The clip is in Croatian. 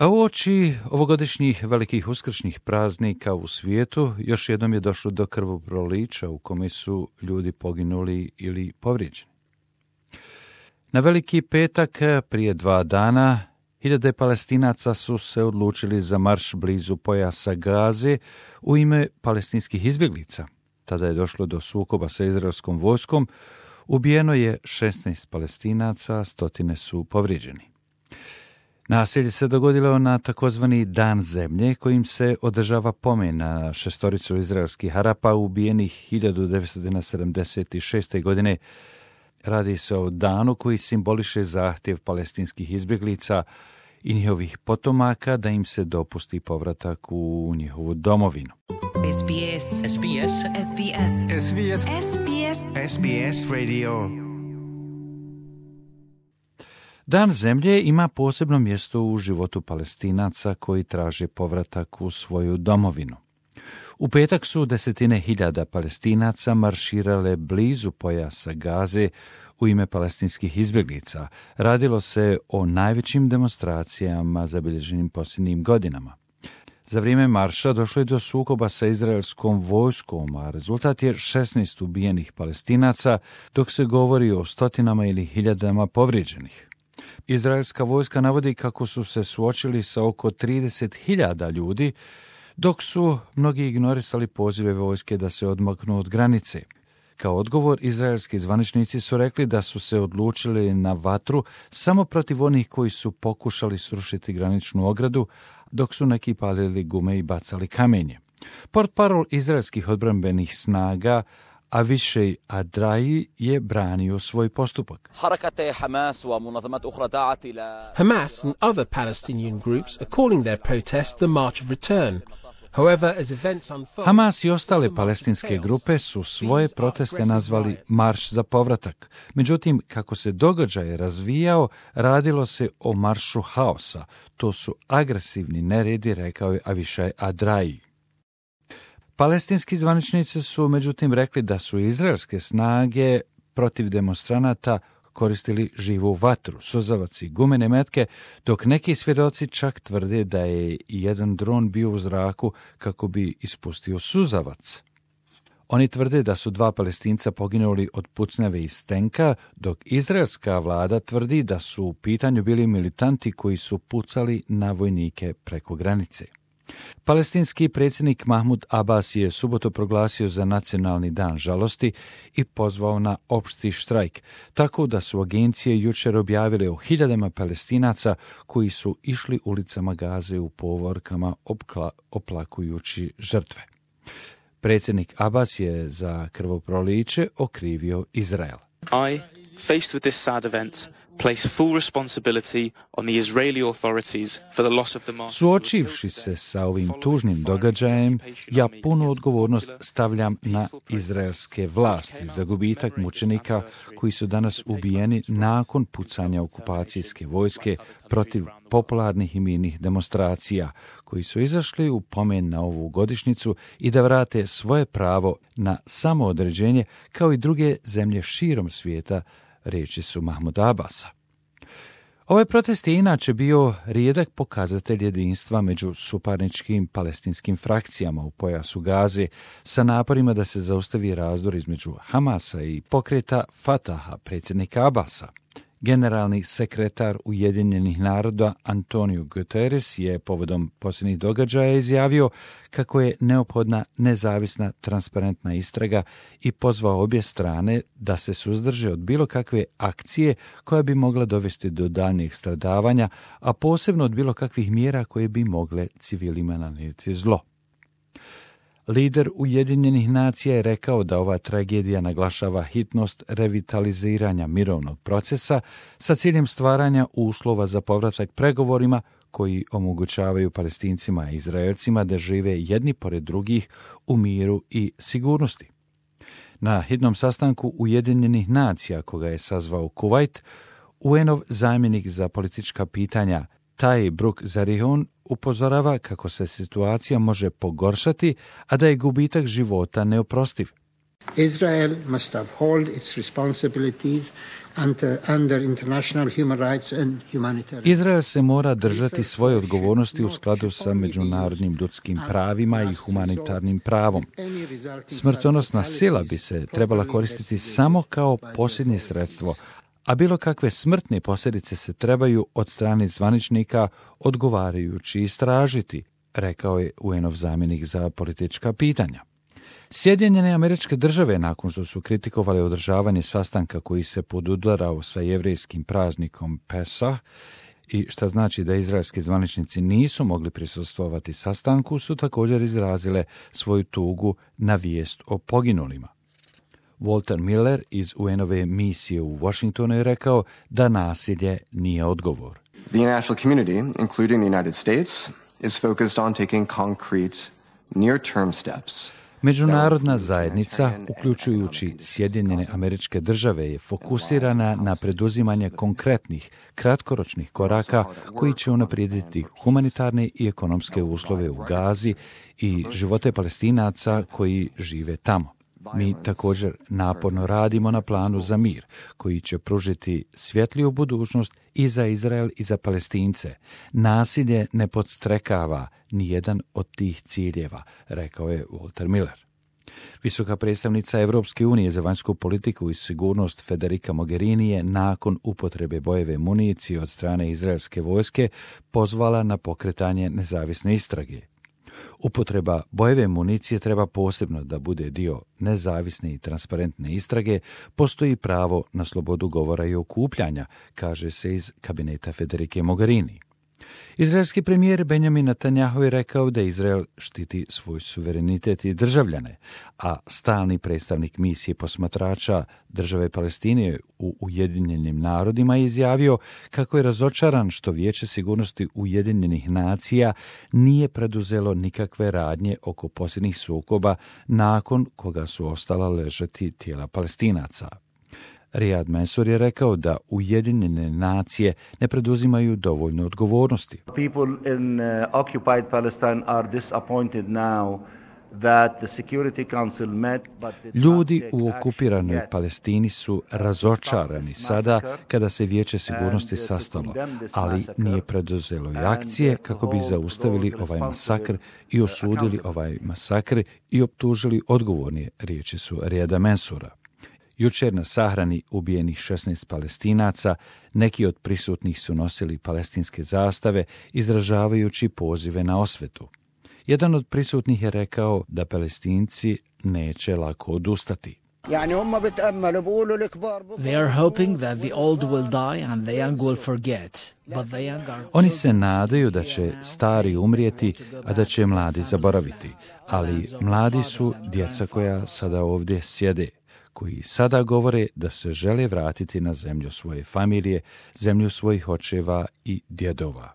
A uoči ovogodišnjih velikih uskršnjih praznika u svijetu još jednom je došlo do krvoprolića u kome su ljudi poginuli ili povrijeđeni. Na Veliki petak prije 2 dana hiljade Palestinaca su se odlučili za marš blizu pojasa Gaze u ime palestinskih izbjeglica. Tada je došlo do sukoba sa izraelskom vojskom, ubijeno je 16 Palestinaca, stotine su povrijeđeni. Nasilje se dogodilo na takozvani Dan zemlje, kojim se održava pomen na 6 izraelskih Arapa ubijenih 1976. godine. Radi se o danu koji simboliše zahtjev palestinskih izbjeglica i njihovih potomaka da im se dopusti povratak u njihovu domovinu. SBS. SBS. SBS. SBS. SBS. SBS Radio. Dan zemlje ima posebno mjesto u životu Palestinaca koji traže povratak u svoju domovinu. U petak su desetine hiljada Palestinaca marširale blizu pojasa Gaze u ime palestinskih izbjeglica. Radilo se o najvećim demonstracijama zabilježenim posljednjim godinama. Za vrijeme marša došlo je do sukoba sa izraelskom vojskom, a rezultat je 16 ubijenih Palestinaca, dok se govori o stotinama ili hiljadama povrijeđenih. Izraelska vojska navodi kako su se suočili sa oko 30.000 ljudi, dok su mnogi ignorisali pozive vojske da se odmaknu od granice. Kao odgovor, izraelski zvaničnici su rekli da su se odlučili na vatru samo protiv onih koji su pokušali srušiti graničnu ogradu, dok su neki palili gume i bacali kamenje. Portparol izraelskih odbrambenih snaga Avishai Adraji je branio svoj postupak. Hamas and other Palestinian groups are calling their protest the March of Return. However, as events unfold, Hamas i ostale palestinske grupe su svoje proteste nazvali Marš za povratak. Međutim, kako se događaj razvijao, radilo se o maršu haosa. To su agresivni neredi, rekao je Avishai Adraji. Palestinski zvaničnici su međutim rekli da su izraelske snage protiv demonstranata koristili živu vatru, suzavac i gumene metke, dok neki svjedoci čak tvrde da je jedan dron bio u zraku kako bi ispustio suzavac. Oni tvrde da su 2 Palestinca poginuli od pucnjave iz tenka, dok izraelska vlada tvrdi da su u pitanju bili militanti koji su pucali na vojnike preko granice. Palestinski predsjednik Mahmud Abbas je subotu proglasio za nacionalni dan žalosti i pozvao na opšti štrajk, tako da su agencije jučer objavile o hiljadama Palestinaca koji su išli ulicama Gaze u povorkama oplakujući žrtve. Predsjednik Abbas je za krvoproliće okrivio Izrael. I, faced with this sad event, place full responsibility on the Israeli authorities for the loss of the martyrs. Suočivši se sa ovim tužnim događajem, ja punu odgovornost stavljam na izraelske vlasti za gubitak mučenika koji su danas ubijeni nakon pucanja okupacijske vojske protiv popularnih i mirnih demonstracija, koji su izašli u pomen na ovu godišnjicu i da vrate svoje pravo na samoodređenje kao i druge zemlje širom svijeta, riječi su Mahmuda Abbasa. Ovaj protest je inače bio rijedak pokazatelj jedinstva među suparničkim palestinskim frakcijama u pojasu Gaze sa naporima da se zaustavi razdor između Hamasa i pokreta Fataha, predsjednika Abbasa. Generalni sekretar Ujedinjenih naroda Antonio Guterres je povodom posljednjih događaja izjavio kako je neophodna nezavisna, transparentna istraga i pozvao obje strane da se suzdrže od bilo kakve akcije koja bi mogla dovesti do daljnjeg stradavanja, a posebno od bilo kakvih mjera koje bi mogle civilima nanijeti zlo. Lider Ujedinjenih nacija je rekao da ova tragedija naglašava hitnost revitaliziranja mirovnog procesa sa ciljem stvaranja uslova za povratak pregovorima koji omogućavaju Palestincima i Izraelcima da žive jedni pored drugih u miru i sigurnosti. Na hitnom sastanku Ujedinjenih nacija, koga je sazvao Kuvajt, UN-ov zamjenik za politička pitanja Taj Bruk Zarihun upozorava kako se situacija može pogoršati, a da je gubitak života neoprostiv. Israel must uphold its responsibilities under international human rights and humanitarian. Izrael se mora držati svoje odgovornosti u skladu sa međunarodnim ljudskim pravima i humanitarnim pravom. Smrtonosna sila bi se trebala koristiti samo kao posljednje sredstvo, a bilo kakve smrtne posljedice se trebaju od strane zvaničnika odgovarajući istražiti, rekao je UN-ov zamjenik za politička pitanja. Sjedinjene Američke Države, nakon što su kritikovali održavanje sastanka koji se podudarao sa jevrejskim praznikom Pesah, i šta znači da izraelski zvaničnici nisu mogli prisustvovati sastanku, su također izrazile svoju tugu na vijest o poginulima. Walter Miller iz UN-ove misije u Washingtonu je rekao da nasilje nije odgovor. The international community, including the United States, is focused on taking concrete, near-term steps. Međunarodna zajednica, uključujući Sjedinjene Američke Države, je fokusirana na preduzimanje konkretnih, kratkoročnih koraka koji će unaprijediti humanitarne i ekonomske uslove u Gazi i živote Palestinaca koji žive tamo. Mi također naporno radimo na planu za mir, koji će pružiti svjetliju budućnost i za Izrael i za Palestince. Nasilje ne podstrekava ni jedan od tih ciljeva, rekao je Walter Miller. Visoka predstavnica Europske unije za vanjsku politiku i sigurnost Federica Mogherini je nakon upotrebe bojeve municije od strane izraelske vojske pozvala na pokretanje nezavisne istrage. Upotreba bojeve municije treba posebno da bude dio nezavisne i transparentne istrage, postoji pravo na slobodu govora i okupljanja, kaže se iz kabineta Federike Mogherini. Izraelski premijer Benjamin Netanjahu je rekao da Izrael štiti svoj suverenitet i državljane, a stalni predstavnik misije posmatrača države Palestine u Ujedinjenim narodima je izjavio kako je razočaran što Vijeće sigurnosti Ujedinjenih nacija nije preduzelo nikakve radnje oko posljednjih sukoba nakon koga su ostala ležati tijela Palestinaca. Riyad Mansour je rekao da Ujedinjene nacije ne preduzimaju dovoljno odgovornosti. People in occupied Palestine are disappointed now that the Security Council met, but ljudi u okupiranoj Palestini su razočarani sada kada se Vijeće sigurnosti sastalo, ali nije preduzelo i akcije kako bi zaustavili ovaj masakr i osudili ovaj masakr i optužili odgovorne, riječi su Riyada Mansoura. Jučer na sahrani ubijenih 16 Palestinaca, neki od prisutnih su nosili palestinske zastave, izražavajući pozive na osvetu. Jedan od prisutnih je rekao da Palestinci neće lako odustati. They are hoping that the old will die and the young will forget. But the young are... Oni se nadaju da će stari umrijeti, a da će mladi zaboraviti. Ali mladi su djeca koja sada ovdje sjede, koji sada govore da se žele vratiti na zemlju svoje familije, zemlju svojih očeva i djedova.